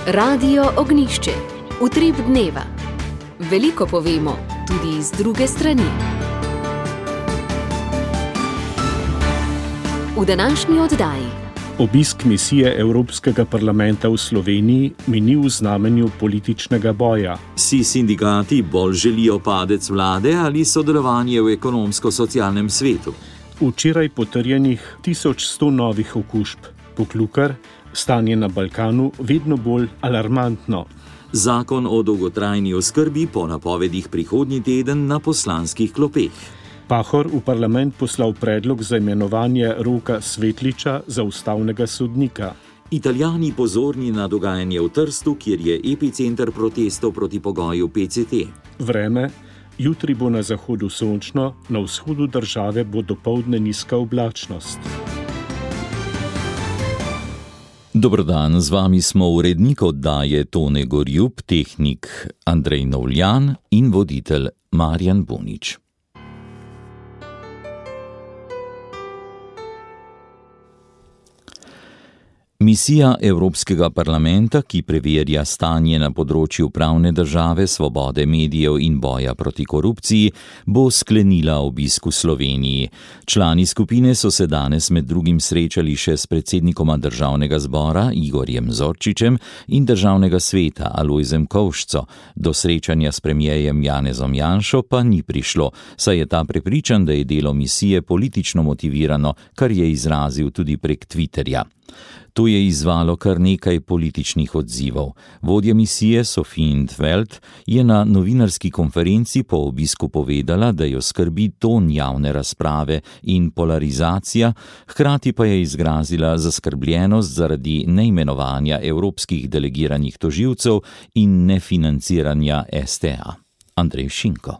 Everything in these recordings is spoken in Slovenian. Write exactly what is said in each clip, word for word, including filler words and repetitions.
Radio Ognišče, utrip dneva. Veliko povemo, tudi iz druge strani. V današnji oddaji. Obisk misije Evropskega parlamenta v Sloveniji mini v znamenju političnega boja. Si sindikati bolj želijo padec vlade ali sodelovanje v ekonomsko-socialnem svetu? Včeraj potrjenih tisoč sto novih okužb. Poklukar, stanje na Balkanu vedno bolj alarmantno. Zakon o dolgotrajni oskrbi po napovedih prihodnji teden na poslanskih klopeh. Pahor v parlament poslal predlog za imenovanje Roka Svetliča za ustavnega sodnika. Italijani pozorni na dogajanje v Trstu, kjer je epicenter protestov proti pogoju P C T. Vreme. Jutri bo na zahodu sončno, na vzhodu države bo dopoldne nizka oblačnost. Dobrodan, z vami smo urednik oddaje Tone Gorjup, tehnik Andrej Novljan in voditelj Marjan Bunič. Misija Evropskega parlamenta, ki preverja stanje na področju pravne države, svobode medijev in boja proti korupciji, bo sklenila obisk v Sloveniji. Člani skupine so se danes med drugim srečali še s predsednikoma državnega zbora Igorjem Zorčičem in državnega sveta Alojzem Kovšco. Do srečanja s premierjem Janezom Janšo pa ni prišlo, saj je ta prepričan, da je delo misije politično motivirano, kar je izrazil tudi prek Twitterja. To je izzvalo kar nekaj političnih odzivov. Vodja misije Sophie in 't Veld je na novinarski konferenci po obisku povedala, da jo skrbi ton javne razprave in polarizacija, hkrati pa je izrazila zaskrbljenost zaradi neimenovanja evropskih delegiranih tožilcev in nefinanciranja S T A. Andrej Šinko.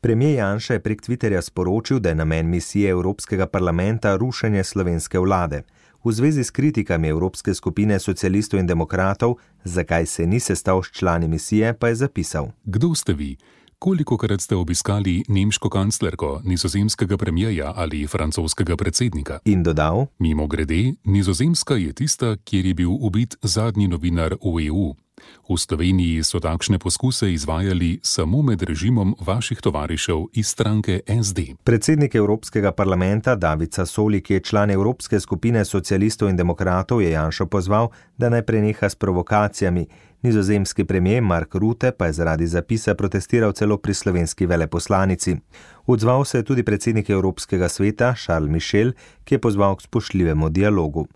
Premier Janša je prek Twitterja sporočil, da je namen misije Evropskega parlamenta rušenje slovenske vlade. V zvezi s kritikami Evropske skupine socialistov in demokratov, zakaj se ni sestal s člani misije, pa je zapisal. Kdo ste vi? Kolikokrat ste obiskali nemško kanclerko, nizozemskega premierja ali francoskega predsednika? In dodal. Mimogrede, Nizozemska je tista, kjer je bil ubit zadnji novinar v E U. V Sloveniji so takšne poskuse izvajali samo med režimom vaših tovarišev iz stranke S D. Predsednik Evropskega parlamenta David Sassoli, ki je član Evropske skupine socialistov in demokratov, je Janšo pozval, da naj preneha s provokacijami. Nizozemski premier Mark Rutte pa je zaradi zapisa protestiral celo pri slovenski veleposlanici. Odzval se je tudi predsednik Evropskega sveta Charles Michel, ki je pozval k spoštljivemu dialogu.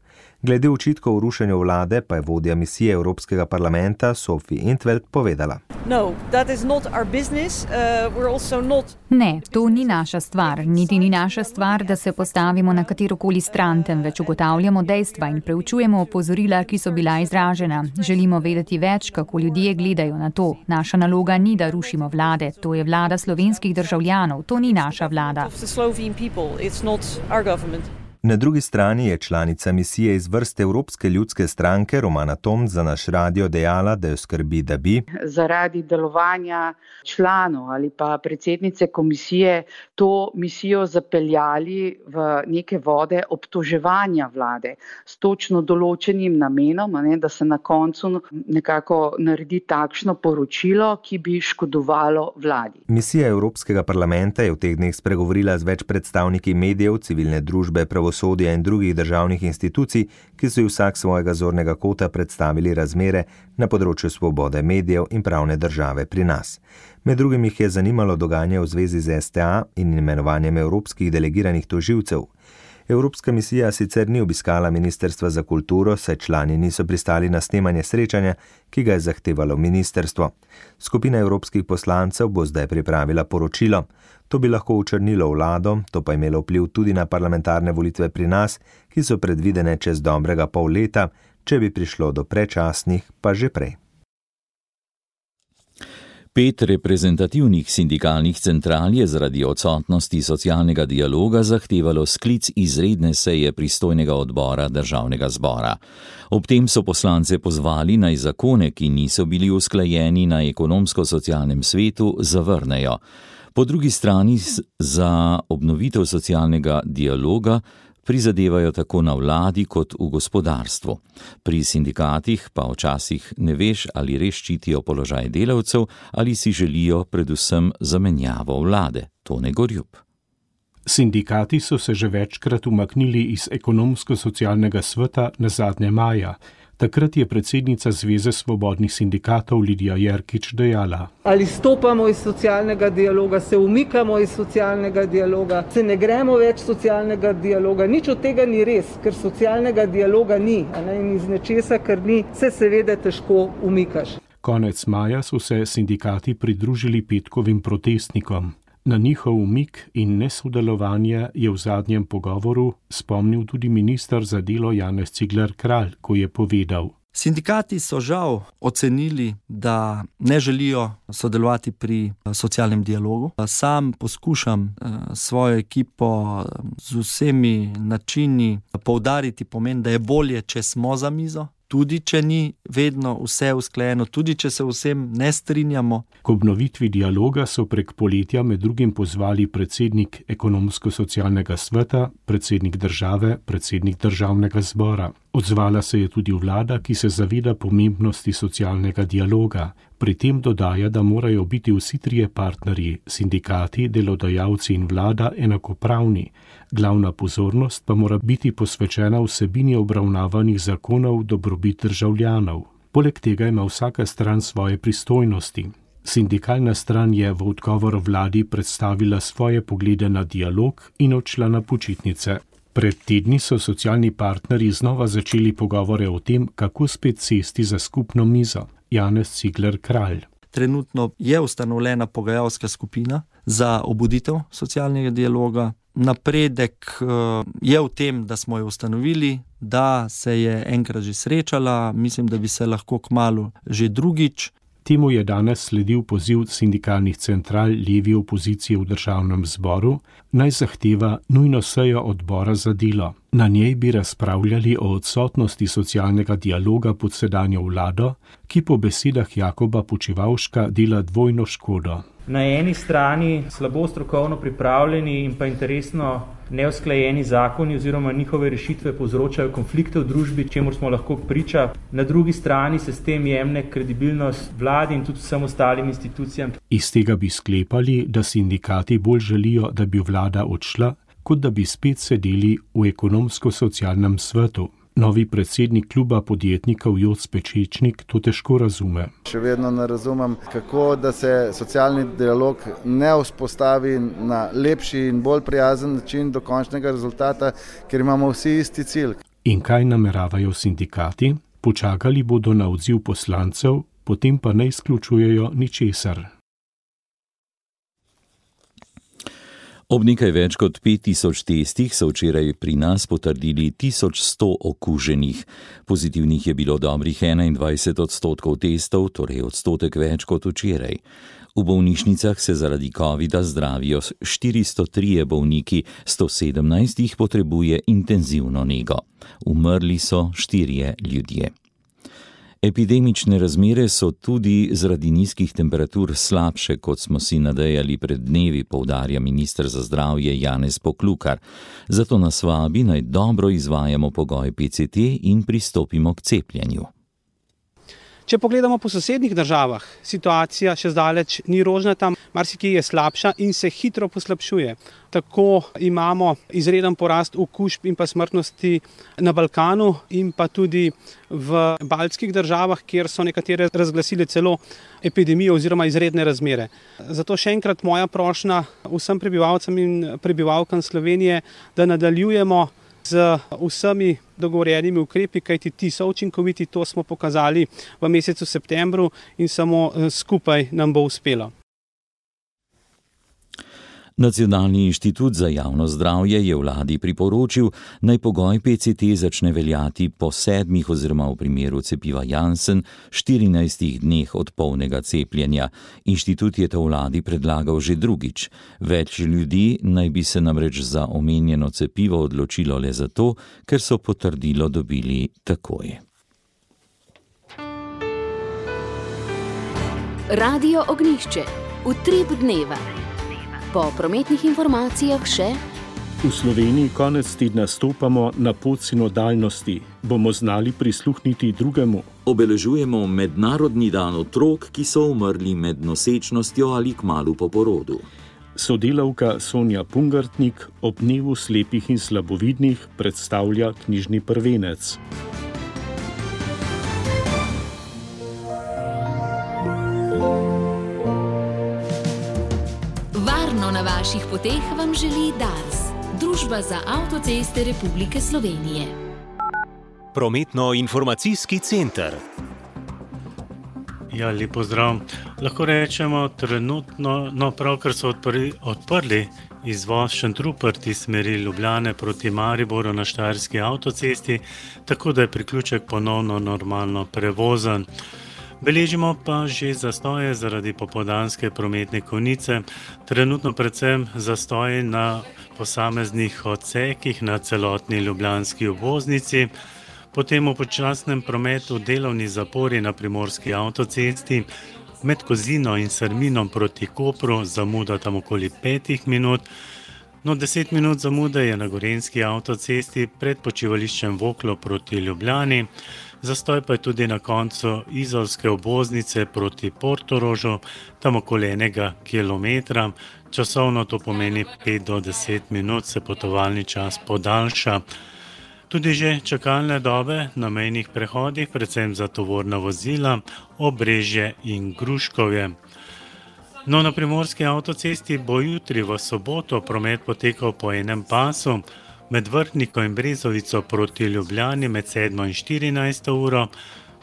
Glede očitkov o rušenju vlade pa je vodja misije Evropskega parlamenta Sophie in 't Veld povedala. No, that is not our business. Uh, we're also not... Ne, to ni naša stvar, niti ni naša stvar, da se postavimo na katerokoli stran, temveč ugotavljamo dejstva in preučujemo opozorila, ki so bila izražena. Želimo vedeti več, kako ljudje gledajo na to. Naša naloga ni, da rušimo vlade, to je vlada slovenskih državljanov, to ni naša vlada. Na drugi strani je članica misije iz vrste Evropske ljudske stranke Romana Tomc za naš radio dejala, da jo skrbi, da bi zaradi delovanja članov ali pa predsednice komisije to misijo zapeljali v neke vode obtoževanja vlade s točno določenim namenom, ne, da se na koncu nekako naredi takšno poročilo, ki bi škodovalo vladi. Misija Evropskega parlamenta je v teh dneh spregovorila z več predstavniki medijev, civilne družbe, pravosodja in drugih državnih institucij, ki so vsak svojega zornega kota predstavili razmere na področju svobode medijev in pravne države pri nas. Med drugim jih je zanimalo dogajanje v zvezi z S T A in imenovanjem evropskih delegiranih tožilcev. Evropska misija sicer ni obiskala Ministrstva za kulturo, saj člani niso pristali na snemanje srečanja, ki ga je zahtevalo ministrstvo. Skupina evropskih poslancev bo zdaj pripravila poročilo. To bi lahko očrnilo vlado, to pa imelo vpliv tudi na parlamentarne volitve pri nas, ki so predvidene čez dobrega pol leta, če bi prišlo do predčasnih, pa že prej. Pet reprezentativnih sindikalnih central je zaradi odsotnosti socialnega dialoga zahtevalo sklic izredne seje pristojnega odbora državnega zbora. Ob tem so poslance pozvali, naj zakone, ki niso bili usklajeni na ekonomsko-socialnem svetu, zavrnejo. Po drugi strani za obnovitev socialnega dialoga Prizadevajo tako na vladi kot v gospodarstvu. Pri sindikatih pa včasih ne veš, ali res ščitijo položaj delavcev ali si želijo predvsem zamenjavo vlade. Tone Gorjup. Sindikati so se že večkrat umaknili iz ekonomsko-socialnega sveta nazadnje maja. Takrat je predsednica Zveze svobodnih sindikatov Lidija Jerkič dejala: Ali stopamo iz socialnega dialoga, se umikamo iz socialnega dialoga, se ne gremo več socialnega dialoga. Nič od tega ni res, ker socialnega dialoga ni, a ne, in iz nečesa, kar ni, se seveda težko umikaš. Konec maja so se sindikati pridružili petkovim protestnikom. Na njihov umik in nesodelovanje je v zadnjem pogovoru spomnil tudi minister za delo Janez Cigler Kralj, ko je povedal: Sindikati so žal ocenili, da ne želijo sodelovati pri socialnem dialogu. Sam poskušam svojo ekipo z vsemi načini poudariti pomen, da je bolje, če smo za mizo. Tudi če ni vedno vse usklajeno, tudi če se vsem ne strinjamo. K obnovitvi dialoga so prek poletja med drugim pozvali predsednik ekonomsko-socialnega sveta, predsednik države, predsednik državnega zbora. Odzvala se je tudi vlada, ki se zaveda pomembnosti socialnega dialoga. Pri tem dodaja, da morajo biti vsi trije partnerji, sindikati, delodajalci in vlada, enakopravni. Glavna pozornost pa mora biti posvečena vsebini obravnavanih zakonov dobrobit državljanov. Poleg tega ima vsaka stran svoje pristojnosti. Sindikalna stran je v odgovor vladi predstavila svoje poglede na dialog in odšla na počitnice. Pred tedni so socialni partnerji znova začeli pogovore o tem, kako spet sesti za skupno mizo. Janez Cigler Kralj. Trenutno je ustanovljena pogajalska skupina za obuditev socialnega dialoga. Napredek je v tem, da smo jo ustanovili, da se je enkrat že srečala, mislim, da bi se lahko kmalu že drugič. Temu je danes sledil poziv sindikalnih central levi opozicije v državnem zboru, naj zahteva nujno sejo odbora za delo. Na njej bi razpravljali o odsotnosti socialnega dialoga pod sedanjo vlado, ki po besedah Jakoba Počivavška dela dvojno škodo. Na eni strani slabo strokovno pripravljeni in pa interesno neusklajeni zakoni oziroma njihove rešitve povzročajo konflikte v družbi, čemur smo lahko priča. Na drugi strani se s tem jemne kredibilnost vladi in tudi vsem ostalim institucijam. Iz tega bi sklepali, da sindikati bolj želijo, da bi vlada odšla, kot da bi spet sedeli v ekonomsko-socialnem svetu. Novi predsednik kluba podjetnikov Joc Pečečnik to težko razume. Še vedno ne razumem, kako da se socialni dialog ne vzpostavi na lepši in bolj prijazen način do končnega rezultata, ker imamo vsi isti cilj. In kaj nameravajo sindikati? Počakali bodo na odziv poslancev, potem pa ne izključujejo ničesar. Ob nekaj več kot pet tisoč testih so včeraj pri nas potrdili tisoč sto okuženih. Pozitivnih je bilo dobrih enaindvajset odstotkov testov, torej odstotek več kot včeraj. V bolnišnicah se zaradi covida zdravijo štiristo trije bolniki, sto sedemnajst jih potrebuje intenzivno nego. Umrli so štirje ljudje. Epidemične razmere so tudi zaradi nizkih temperatur slabše, kot smo si nadejali pred dnevi, poudarja minister za zdravje Janez Poklukar. Zato nas vabi, naj dobro izvajamo pogoj P C T in pristopimo k cepljenju. Če pogledamo po sosednjih državah, situacija še zdaleč ni rožnata, marsikje je slabša in se hitro poslabšuje. Tako imamo izreden porast okužb in pa smrtnosti na Balkanu in pa tudi v baltskih državah, kjer so nekatere razglasile celo epidemijo oziroma izredne razmere. Zato še enkrat moja prošnja vsem prebivalcem in prebivalkam Slovenije, da nadaljujemo z vsemi dogovorjenimi ukrepi, kajti ti so učinkoviti, to smo pokazali v mesecu septembru in samo skupaj nam bo uspelo. Nacionalni inštitut za javno zdravje je vladi priporočil, naj pogoj P C T začne veljati po sedmih oziroma v primeru cepiva Janssen štirinajstih dneh od polnega cepljenja. Inštitut je to vladi predlagal že drugič. Več ljudi naj bi se namreč za omenjeno cepivo odločilo le zato, ker so potrdilo dobili takoj. Radio Ognjišče. Utrip dneva. Po prometnih informacijah še V Sloveniji konec tedna stopamo na pot sinodalnosti. Bomo znali prisluhniti drugemu. Obeležujemo Mednarodni dan otrok, ki so umrli med nosečnostjo ali kmalu po porodu. Sodelavka Sonja Pungartnik ob dnevu slepih in slabovidnih predstavlja knjižni prvenec. Varno na vaših poteh vam želi Dars, Družba za avtoceste Republike Slovenije. Prometno-informacijski center. Ja, lep pozdrav. Lahko rečemo trenutno, no pravkar so odprli, odprli izvoz Šentrupert iz smeri Ljubljane proti Mariboru na Štajerski avtocesti, tako da je priključek ponovno normalno prevozen. Beležimo pa že zastoje zaradi popoldanske prometne konice, trenutno predvsem zastoje na posameznih odsekih na celotni ljubljanski obvoznici, potem v počasnem prometu delovni zapori na primorski avtocesti, med Kozino in Srminom proti Kopru zamuda tam okoli petih minut, no deset minut zamude je na Gorenjski avtocesti pred počivališčem Voklo proti Ljubljani, zastoj pa je tudi na koncu izolske obvoznice proti Portorožu, tam okoli enega kilometra, časovno to pomeni pet do deset minut se potovalni čas podaljša. Tudi že čakalne dobe na mejnih prehodih, predvsem za tovorna vozila, Obrežje in Gruškovje. No, na primorski avtocesti bo jutri v soboto promet potekal po enem pasu, med Vrhniko in Brezovico proti Ljubljani med sedmo in štirinajsto uro,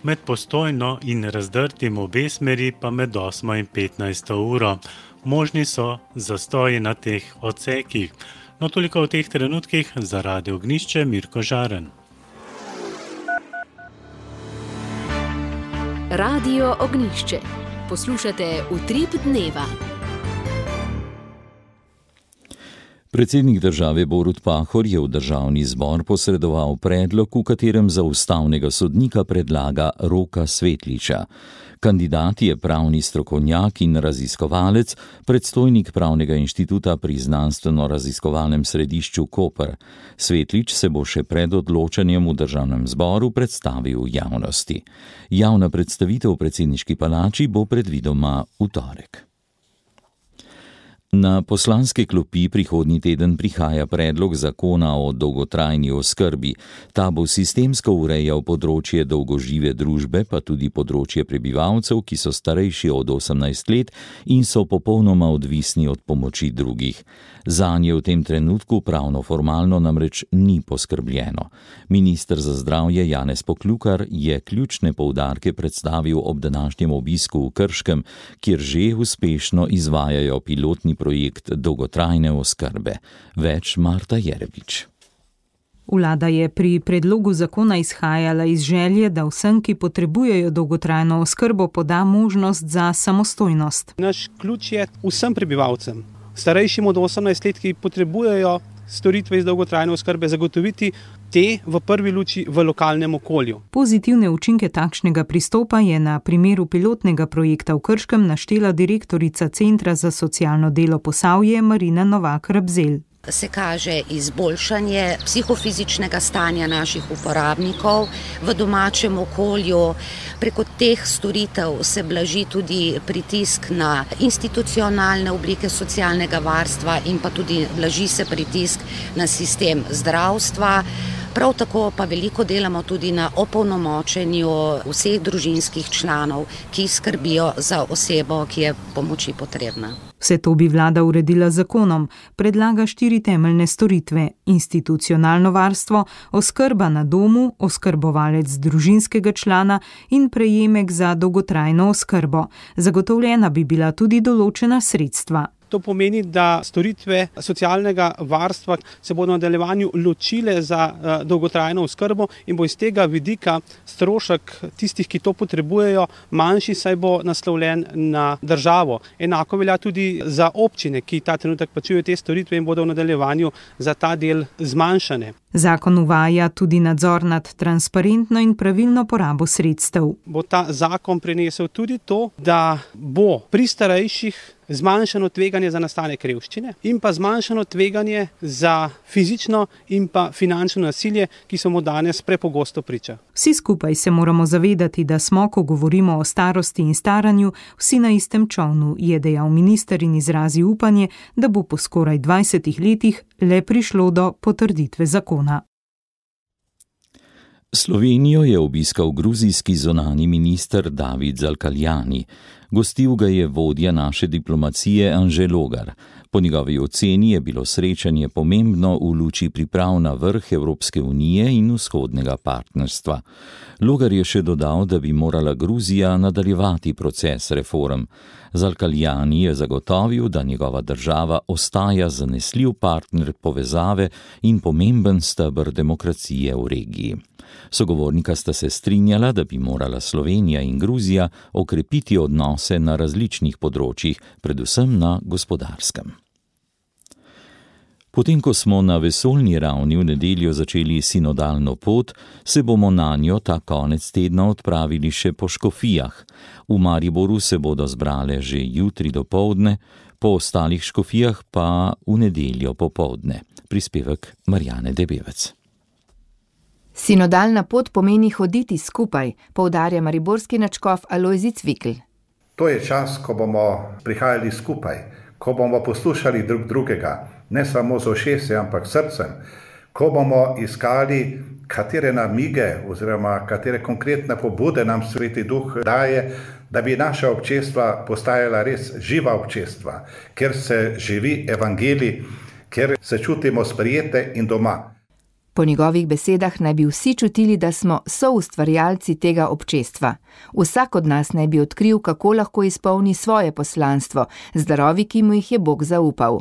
med Postojno in Razdrtim obe smeri pa med osmo in petnajsto uro. Možni so zastoji na teh odsekih. No, toliko v teh trenutkih, za Radio Ognjišče, Mirko Žaren. Radio Ognjišče. Poslušate Utrip dneva. Predsednik države Borut Pahor je v državni zbor posredoval predlog, v katerem za ustavnega sodnika predlaga Roka Svetliča. Kandidat je pravni strokovnjak in raziskovalec, predstojnik Pravnega inštituta pri Znanstveno-raziskovalnem središču Koper. Svetlič se bo še pred odločanjem v državnem zboru predstavil javnosti. Javna predstavitev v predsedniški palači bo predvidoma v torek. Na poslanske klopi prihodnji teden prihaja predlog zakona o dolgotrajni oskrbi. Ta bo sistemsko urejal področje dolgožive družbe, pa tudi področje prebivalcev, ki so starejši od osemnajst let in so popolnoma odvisni od pomoči drugih. Zanje v tem trenutku pravno formalno namreč ni poskrbljeno. Minister za zdravje Janez Poklukar je ključne poudarke predstavil ob današnjem obisku v Krškem, kjer že uspešno izvajajo pilotni projekt dolgotrajne oskrbe. Več Marta Jerebič. Vlada je pri predlogu zakona izhajala iz želje, da vsem, ki potrebujejo dolgotrajno oskrbo, poda možnost za samostojnost. Naš ključ je vsem prebivalcem, starejšim od osemnajst let, ki potrebujejo storitve iz dolgotrajne oskrbe, zagotoviti te v prvi luči v lokalnem okolju. Pozitivne učinke takšnega pristopa je na primeru pilotnega projekta v Krškem naštela direktorica Centra za socialno delo Posavje Marina Novak-Rabzelj. Se kaže izboljšanje psihofizičnega stanja naših uporabnikov v domačem okolju. Preko teh storitev se blaži tudi pritisk na institucionalne oblike socialnega varstva in pa tudi blaži se pritisk na sistem zdravstva. Prav tako pa veliko delamo tudi na opolnomočenju vseh družinskih članov, ki skrbijo za osebo, ki je pomoči potrebna. Vse to bi vlada uredila z zakonom, predlaga štiri temeljne storitve: institucionalno varstvo, oskrba na domu, oskrbovalec družinskega člana in prejemek za dolgotrajno oskrbo. Zagotovljena bi bila tudi določena sredstva. To pomeni, da storitve socialnega varstva se bodo v nadaljevanju ločile za uh, dolgotrajno oskrbo in bo iz tega vidika strošek tistih, ki to potrebujejo, manjši, saj bo naslovljen na državo. Enako velja tudi za občine, ki ta trenutek plačujejo te storitve in bodo v nadaljevanju za ta del zmanjšane. Zakon uvaja tudi nadzor nad transparentno in pravilno porabo sredstev. Bo ta zakon prinesel tudi to, da bo pri starejših zmanjšano tveganje za nastanek revščine in pa zmanjšano tveganje za fizično in pa finančno nasilje, ki so mu danes prepogosto priča. Vsi skupaj se moramo zavedati, da smo, ko govorimo o starosti in staranju, vsi na istem čolnu, je dejal minister in izrazil upanje, da bo po skoraj dvajsetih letih le prišlo do potrditve zakona. Slovenijo je obiskal gruzijski zunanji minister David Zalkaljani. Gostil ga je vodja naše diplomacije Anže Logar. Po njegovi oceni je bilo srečanje pomembno v luči priprav na vrh Evropske unije in vzhodnega partnerstva. Logar je še dodal, da bi morala Gruzija nadaljevati proces reform. Zalkaljani je zagotovil, da njegova država ostaja zanesljiv partner povezave in pomemben steber demokracije v regiji. Sogovornika sta se strinjala, da bi morala Slovenija in Gruzija okrepiti odnose na različnih področjih, predvsem na gospodarskem. Potem, ko smo na vesoljni ravni v nedeljo začeli sinodalno pot, se bomo na njo ta konec tedna odpravili še po škofijah. V Mariboru se bodo zbrale že jutri dopoldne, po ostalih škofijah pa v nedeljo popoldne. Prispevek Marjane Debevec. Sinodalna pot pomeni hoditi skupaj, poudarja mariborski nadškof Alojzij Cvikl. To je čas, ko bomo prihajali skupaj, ko bomo poslušali drug drugega, ne samo z ušesi, ampak srcem, ko bomo iskali, katere namige oziroma katere konkretne pobude nam Sveti Duh daje, da bi naša občestva postajala res živa občestva, kjer se živi evangelij, kjer se čutimo sprijete in doma. Po njegovih besedah naj bi vsi čutili, da smo soustvarjalci tega občestva. Vsak od nas naj bi odkril, kako lahko izpolni svoje poslanstvo, z darovi, ki mu jih je Bog zaupal.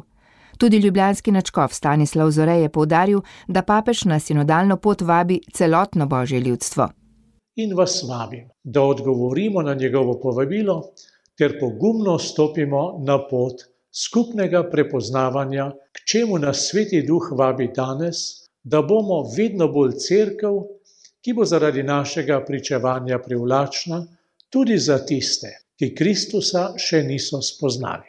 Tudi ljubljanski nadškof Stanislav Zore je poudaril, da papež na sinodalno pot vabi celotno božje ljudstvo. In vas vabim, da odgovorimo na njegovo povabilo, ter pogumno stopimo na pot skupnega prepoznavanja, k čemu nas Sveti Duh vabi danes, da bomo vedno bolj cerkev, ki bo zaradi našega pričevanja privlačna tudi za tiste, ki Kristusa še niso spoznali.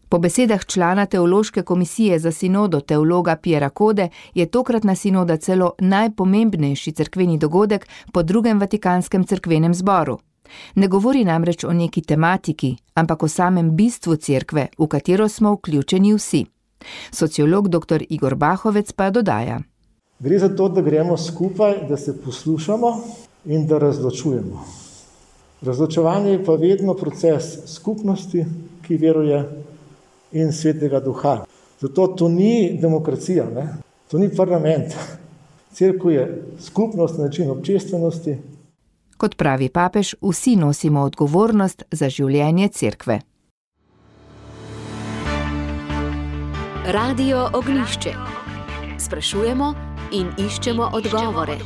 Po besedah člana teološke komisije za sinodo teologa Piera Kode je tokratna sinoda celo najpomembnejši cerkveni dogodek po drugem Vatikanskem cerkvenem zboru. Ne govori namreč o neki tematiki, ampak o samem bistvu cerkve, v katero smo vključeni vsi. Sociolog doktor Igor Bahovec pa dodaja. Gre za to, da gremo skupaj, da se poslušamo in da razločujemo. Razločevanje je pa vedno proces skupnosti, ki veruje, in Svetega Duha. Zato to ni demokracija, ne? To ni parlament. Cerkev je skupnost, način občestvenosti. Kot pravi papež, vsi nosimo odgovornost za življenje cerkve. Radio Ognjišče. Sprašujemo in iščemo odgovore.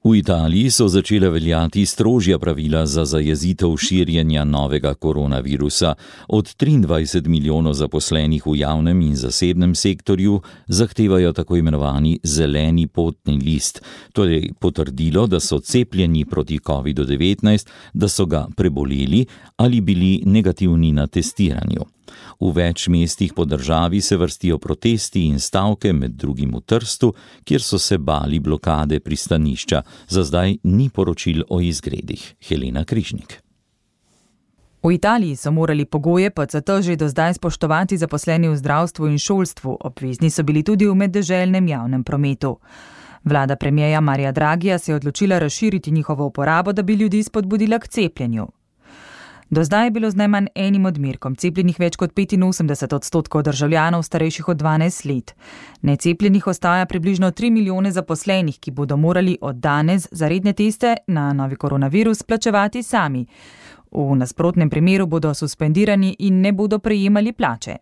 V Italiji so začele veljati strožja pravila za zajezitev širjenja novega koronavirusa. Od triindvajset milijonov zaposlenih v javnem in zasebnem sektorju zahtevajo tako imenovani zeleni potni list, torej potrdilo, da so cepljeni proti kovidu devetnajst, da so ga preboleli ali bili negativni na testiranju. V več mestih po državi se vrstijo protesti in stavke, med drugim v Trstu, kjer so se bali blokade pristanišča. Za zdaj ni poročil o izgredih. Helena Križnik. V Italiji so morali pogoje P C T že do zdaj spoštovati zaposleni v zdravstvu in šolstvu, obvezni so bili tudi v meddeželnem javnem prometu. Vlada premierja Marija Dragija se je odločila razširiti njihovo uporabo, da bi ljudi spodbudila k cepljenju. Do zdaj je bilo z najmanj enim odmerkom cepljenih več kot petinosemdeset odstotkov državljanov starejših od dvanajst let. Necepljenih ostaja približno tri milijone zaposlenih, ki bodo morali od danes za redne teste na novi koronavirus plačevati sami. V nasprotnem primeru bodo suspendirani in ne bodo prejemali plače.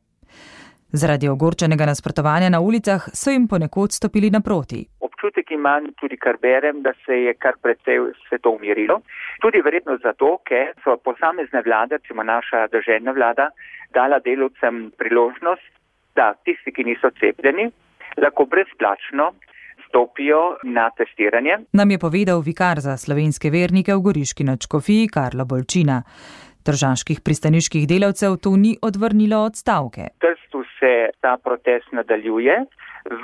Zaradi ogorčenega nasprotovanja na ulicah so jim ponekod stopili naproti. Občutek imam, tudi kar berem, da se je kar precej vse to umirilo. Tudi verjetno zato, ker so posamezne vlade, recimo naša državna vlada, dala delavcem priložnost, da tisti, ki niso cepljeni, lahko brezplačno vstopijo na testiranje. Nam je povedal vikar za slovenske vernike v Goriški nadškofiji Karlo Bolčina. Tržaških pristaniških delavcev to ni odvrnilo od stavke. V Trstu se ta protest nadaljuje,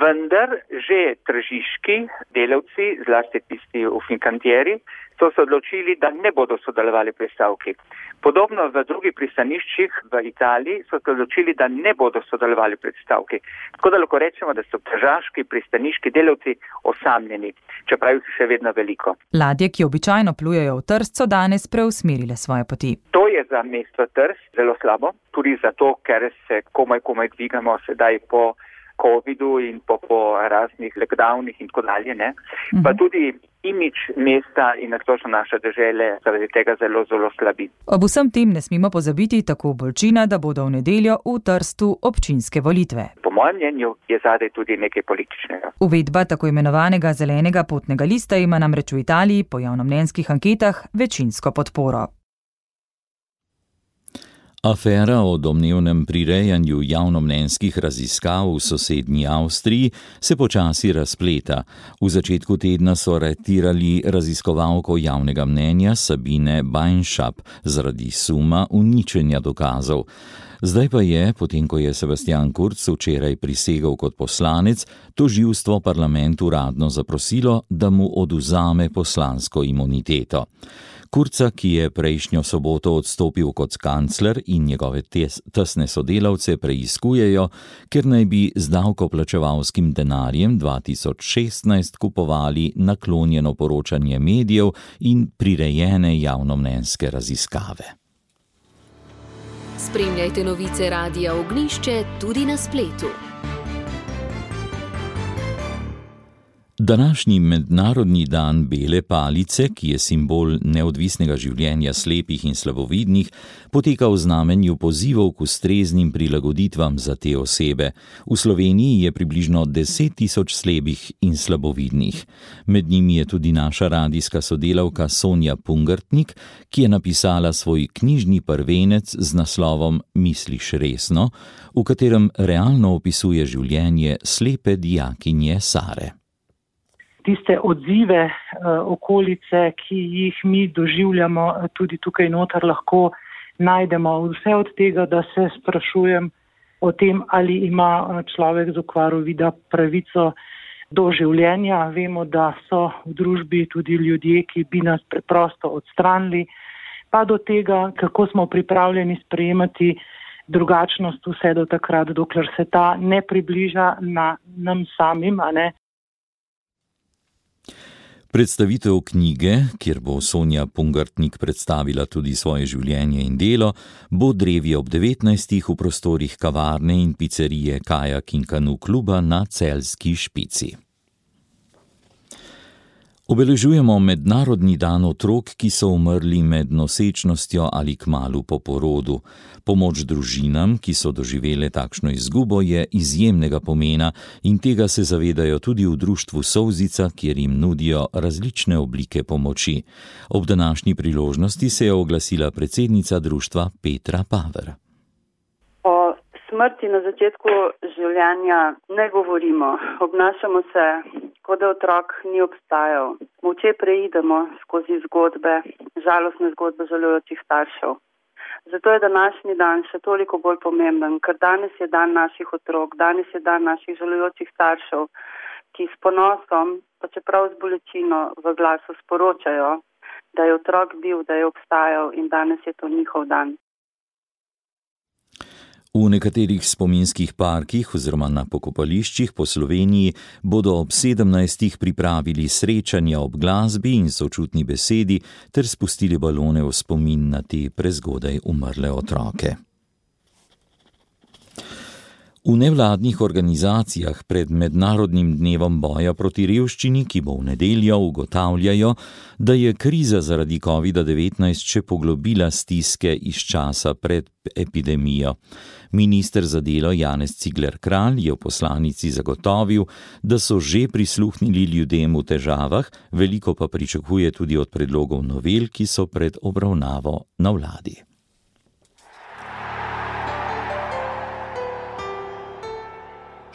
vendar že tržiški delavci, zlasti tisti v Fincantieri, so se odločili, da ne bodo sodelovali pri stavki. Podobno v drugih pristaniščih v Italiji so se odločili, da ne bodo sodelovali pri stavki. Tako da lahko rečemo, da so tržaški pristaniški delavci osamljeni, čeprav jih še vedno veliko. Ladje, ki običajno plujejo v Trst, so danes preusmerile svoje poti. To je za mesto Trst zelo slabo, tudi zato, ker se komaj komaj dvigamo sedaj po covidu in po, po raznih lockdownih in tako dalje, ne. Uh-huh. Pa tudi imič mesta in nasplošno naše dežele zaradi tega zelo, zelo slabi. Ob vsem tem ne smemo pozabiti tako Bolčina, da bodo v nedeljo v Trstu občinske volitve. Po mojem mnenju je zadaj tudi nekaj političnega. Uvedba tako imenovanega zelenega potnega lista ima namreč v Italiji po javnomnenjskih anketah večinsko podporo. Afera o domnevnem prirejanju javnomnenjskih raziskav v sosednji Avstriji se počasi razpleta. V začetku tedna so aretirali raziskovalko javnega mnenja Sabine Beinschap zaradi suma uničenja dokazov. Zdaj pa je, potem ko je Sebastian Kurz včeraj prisegel kot poslanec, tožilstvo parlamentu uradno zaprosilo, da mu odvzame poslansko imuniteto. Kurza, ki je prejšnjo soboto odstopil kot kancler in njegove tes, tesne sodelavce preiskujejo, ker naj bi z davkoplačevalskim denarjem dva tisoč šestnajst kupovali naklonjeno poročanje medijev in prirejene javnomnenjske raziskave. Spremljajte novice Radia Ognjišče tudi na spletu. Današnji mednarodni dan bele palice, ki je simbol neodvisnega življenja slepih in slabovidnih, poteka v znamenju pozivov k ustreznim prilagoditvam za te osebe. V Sloveniji je približno deset tisoč slepih in slabovidnih. Med njimi je tudi naša radijska sodelavka Sonja Pungartnik, ki je napisala svoj knjižni prvenec z naslovom Misliš resno, v katerem realno opisuje življenje slepe dijakinje Sare. Tiste odzive okolice, ki jih mi doživljamo tudi tukaj noter, lahko najdemo. Vse od tega, da se sprašujem o tem, ali ima človek z okvaro vida pravico do življenja. Vemo, da so v družbi tudi ljudje, ki bi nas preprosto odstranili, pa do tega, kako smo pripravljeni sprejemati drugačnost vse do takrat, dokler se ta ne približa na nam samim, a ne. Predstavitev knjige, kjer bo Sonja Pungartnik predstavila tudi svoje življenje in delo, bo drevi ob devetnajstih v prostorih kavarne in picerije Kajak in Kanu kluba na Celjski Špici. Obeležujemo mednarodni dan otrok, ki so umrli med nosečnostjo ali kmalu po porodu. Pomoč družinam, ki so doživele takšno izgubo, je izjemnega pomena in tega se zavedajo tudi v društvu Solzica, kjer jim nudijo različne oblike pomoči. Ob današnji priložnosti se je oglasila predsednica društva Petra Paver. O smrti na začetku življenja ne govorimo, obnašamo se, kot da otrok ni obstajal. Molče preidemo skozi zgodbe, žalostne zgodbe žalujočih staršev. Zato je današnji dan še toliko bolj pomemben, ker danes je dan naših otrok, danes je dan naših žalujočih staršev, ki s ponosom, pa čeprav z bolečino v glasu sporočajo, da je otrok bil, da je obstajal in danes je to njihov dan. V nekaterih spominskih parkih oziroma na pokopališčih po Sloveniji bodo ob sedemnajstih pripravili srečanja ob glasbi in sočutni besedi ter spustili balone v spomin na te prezgodaj umrle otroke. V nevladnih organizacijah pred mednarodnim dnevom boja proti revščini, ki bo v nedeljo, ugotavljajo, da je kriza zaradi covid devetnajst še poglobila stiske iz časa pred epidemijo. Minister za delo Janez Cigler Kralj je v poslanici zagotovil, da so že prisluhnili ljudem v težavah, veliko pa pričakuje tudi od predlogov novel, ki so pred obravnavo na vladi.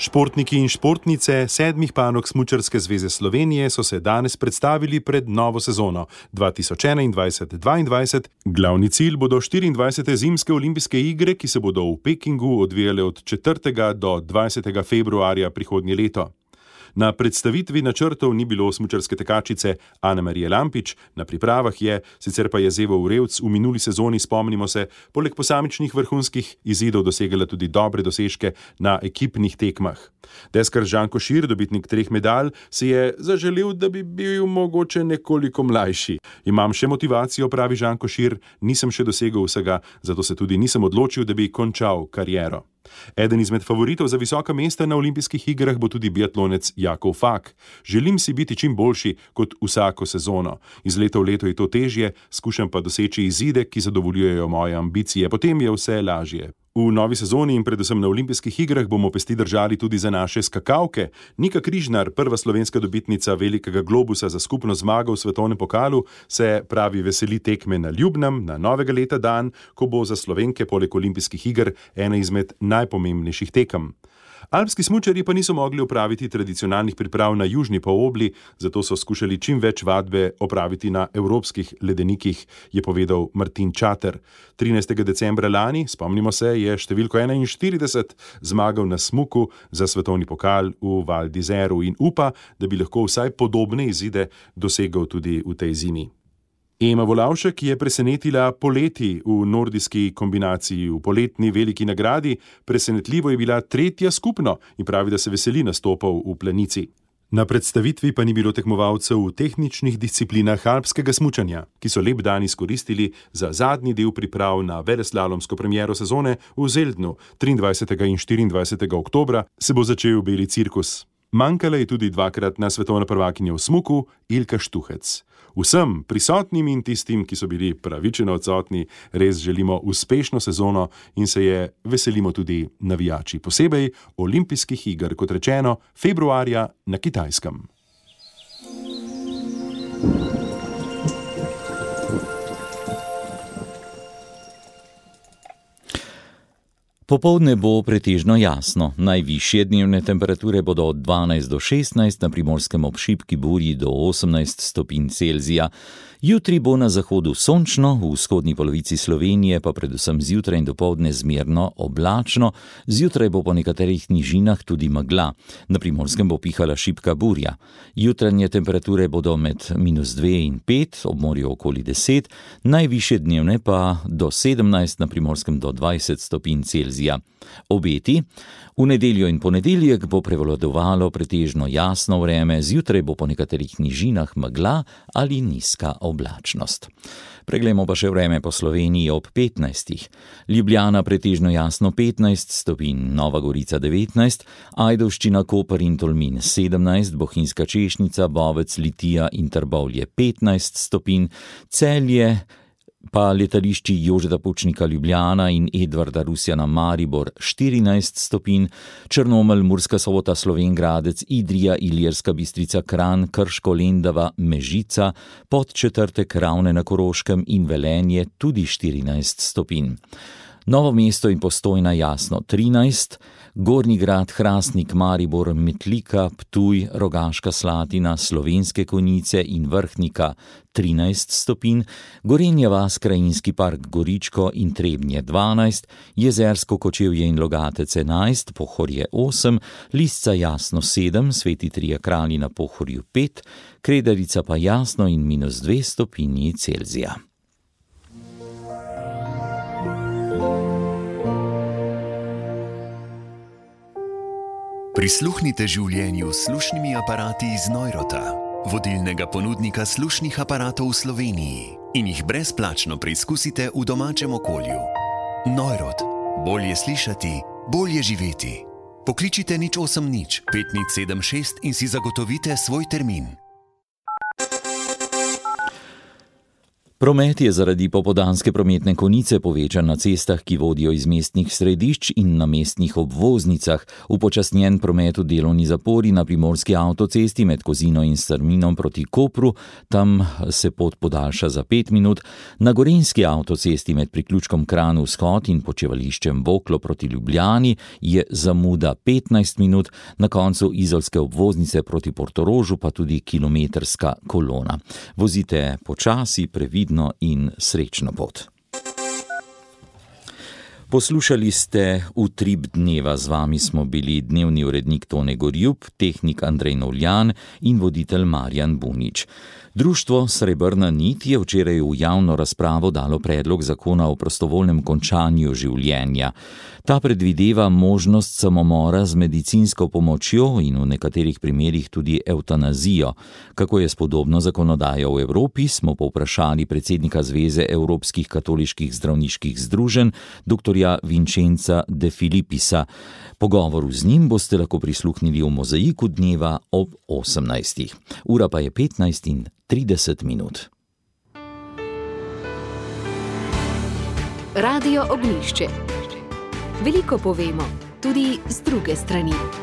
Športniki in športnice sedmih panog Smučarske zveze Slovenije so se danes predstavili pred novo sezono dva tisoč enaindvajset dvaindvajset. Glavni cilj bodo štiriindvajsete zimske olimpijske igre, ki se bodo v Pekingu odvijale od četrtega do dvajsetega februarja prihodnje leto. Na predstavitvi načrtov ni bilo smučarske tekačice Ane Marije Lampič, na pripravah je, sicer pa je Zevo Urevc v minuli sezoni, spomnimo se, poleg posamičnih vrhunskih izidov dosegala tudi dobre dosežke na ekipnih tekmah. Deskar Žan Košir, dobitnik treh medalj, si je zaželel, da bi bil mogoče nekoliko mlajši. Imam še motivacijo, pravi Žan Košir, nisem še dosegel vsega, zato se tudi nisem odločil, da bi končal kariero. Eden izmed favoritov za visoka mesta na olimpijskih igrah bo tudi biatlonec Jakov Fak. Želim si biti čim boljši kot vsako sezono. Iz leta v leto je to težje, skušam pa doseči izide, ki zadovoljujejo moje ambicije, potem je vse lažje. V novi sezoni in predvsem na olimpijskih igrah bomo pesti držali tudi za naše skakavke. Nika Križnar, prva slovenska dobitnica velikega globusa za skupno zmago v svetovnem pokalu, se, pravi, veseli tekme na Ljubnem, na novega leta dan, ko bo za Slovenke poleg olimpijskih iger ena izmed najpomembnejših tekem. Alpski smučarji pa niso mogli opraviti tradicionalnih priprav na južni polobli, zato so skušali čim več vadbe opraviti na evropskih ledenikih, je povedal Martin Čater. trinajstega decembra lani, spomnimo se, je številko enainštirideset zmagal na smuku za svetovni pokal v Val d'Izeru in upa, da bi lahko vsaj podobne izide dosegel tudi v tej zimi. Ema Volavšek je presenetila poleti v nordijski kombinaciji. V poletni veliki nagradi presenetljivo je bila tretja skupno in pravi, da se veseli nastopov v planici. Na predstavitvi pa ni bilo tekmovalcev v tehničnih disciplinah alpskega smučanja, ki so lep dan izkoristili za zadnji del priprav na veleslalomsko premiero sezone v Zeldnu. triindvajsetega in štiriindvajsetega oktobra se bo začel beli cirkus. Manjkala je tudi dvakratna svetovna prvakinja v smuku Ilka Štuhec. Vsem prisotnim in tistim, ki so bili pravičeno odsotni, res želimo uspešno sezono in se je veselimo tudi navijači, posebej olimpijskih iger, kot rečeno, februarja na Kitajskem. Popoldne bo pretežno jasno. Najvišje dnevne temperature bodo od dvanajst do šestnajst, na Primorskem ob šibki burji do osemnajst stopinj Celzija. Jutri bo na zahodu sončno, v vzhodni polovici Slovenije pa predvsem zjutraj in dopoldne zmerno oblačno. Zjutraj bo po nekaterih nižinah tudi megla. Na Primorskem bo pihala šibka burja. Jutranje temperature bodo med minus dve in pet, ob morju okoli deset, najvišje dnevne pa do sedemnajst, na Primorskem do dvajset stopinj Celzija. Obeti: v nedeljo in ponedeljek bo prevladovalo pretežno jasno vreme, zjutraj bo po nekaterih nižinah megla ali nizka oblačnost. Preglejmo pa še vreme po Sloveniji ob petnajstih. Ljubljana pretežno jasno petnajst stopinj, Nova Gorica devetnajst, Ajdovščina, Koper in Tolmin sedemnajst, Bohinjska Češnica, Bovec, Litija in Trbovlje petnajst stopinj, Celje pa letališči Jožeta Pučnika Ljubljana in Edvarda Rusjana Maribor štirinajst stopinj, Črnomelj, Murska Sobota, Slovenj Gradec, Idrija, Ilirska Bistrica, Kranj, Krško, Lendava, Mežica, Podčetrtek, Ravne na Koroškem in Velenje tudi štirinajst stopinj. Novo mesto in Postojna jasno trinajst, Gornji Grad, Hrastnik, Maribor, Metlika, Ptuj, Rogaška Slatina, Slovenske Konjice in Vrhnika trinajst stopinj, Gorenja vas, Krajinski park Goričko in Trebnje dvanajst, Jezersko, Kočevje in Logatec enajst, Pohorje osem, Lisca jasno sedem, Sveti Trije Kralji na Pohorju pet, Kredarica pa jasno in minus dve stopinji Celzija. Prisluhnite življenju s slušnimi aparati iz Neurota, vodilnega ponudnika slušnih aparatov v Sloveniji, in jih brezplačno preizkusite v domačem okolju. Neurot. Bolje slišati, bolje živeti. Pokličite nič osem nič pet nič sedem šest in si zagotovite svoj termin. Promet je zaradi popoldanske prometne konice povečan na cestah, ki vodijo iz mestnih središč in na mestnih obvoznicah. Upočasnjen promet v delovni zapori na primorski avtocesti med Kozino in Strminom proti Kopru, tam se pot podaljša za pet minut. Na gorenjski avtocesti med priključkom Kranj vzhod in počevališčem Voklo proti Ljubljani je zamuda petnajst minut, na koncu izolske obvoznice proti Portorožu pa tudi kilometrska kolona. Vozite počasi, previdno in srečno pot. Poslušali ste Utrip dneva, z vami smo bili dnevni urednik Tone Gorjup, tehnik Andrej Novljan in voditelj Marjan Bunič. Društvo Srebrna nit je včeraj v javno razpravo dalo predlog zakona o prostovoljnem končanju življenja. Ta predvideva možnost samomora z medicinsko pomočjo in v nekaterih primerih tudi evtanazijo. Kako je s podobno zakonodajo v Evropi, smo povprašali predsednika Zveze evropskih katoliških zdravniških združenj, doktorja Vincenza De Filipisa. Pogovoru z njim boste lahko prisluhnili v Mozaiku dneva ob osemnajstih. Ura pa je petnajst in trideset minut. Radio Ognjišče. Veliko povemo, tudi z druge strani.